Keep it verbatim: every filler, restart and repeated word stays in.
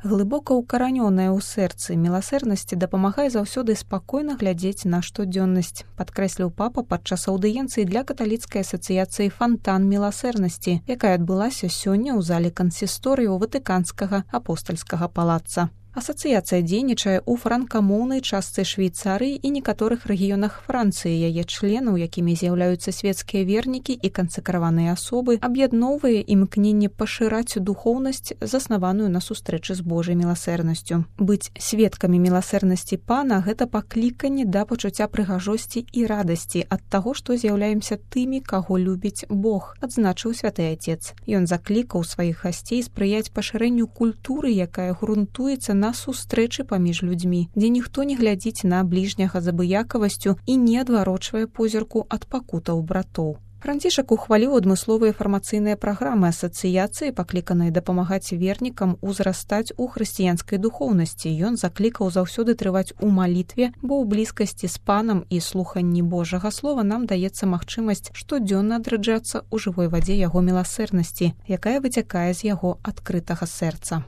Глыбока ўкаранёная ў сэрцы міласэрнасці дапамагае заўсёды спакойна глядзець на штодзённасць, падкрэсліў папа падчас аўдыенцыі для каталіцкай асацыяцыі «Фантан міласэрнасці», якая адбылася сёння ў зале кансісторыю Ватыканскага апостальскага палаца. Асацыяцыя дзейнічае ў франкамоўнай частцы Швейцарыі і некаторых рэгіёнах Францыі. Яе членаў, якімі з'яўляюцца свецкія вернікі і кансакраваныя асобы, аб'ядноўвае імкненне пашыраць духоўнасць, заснаваную на сустрэчы з Божай міласэрнасцю. Быць сведкамі міласэрнасці Пана – гэта пакліканне да пачуцця прыгажосці і радасці ад таго, што з'яўляемся тымі, каго любіць Бог, адзначыў святы Отец. Ён заклікаў сваіх гасцей спрыяць пашырэнню культуры, якая грунтуецца на сустрэчы паміж людзьмі, дзе ніхто не глядзіць на бліжняга з абыякавасцю і не адварочвае позірку ад пакутаў братоў. Францішак ухваліў адмысловыя фармацыйныя праграмы асацыяцыі, пакліканыя дапамагаць вернікам узрастаць у хрысціянскай духоўнасці. Ён заклікаў заўсёды трываць у малітве, бо ў блізкасці з Панам і слуханні Божага слова нам даецца магчымасць штодзённа адраджацца ў жывой вадзе яго міласэрнасці, якая выцякае з яго адкрытага сэрца.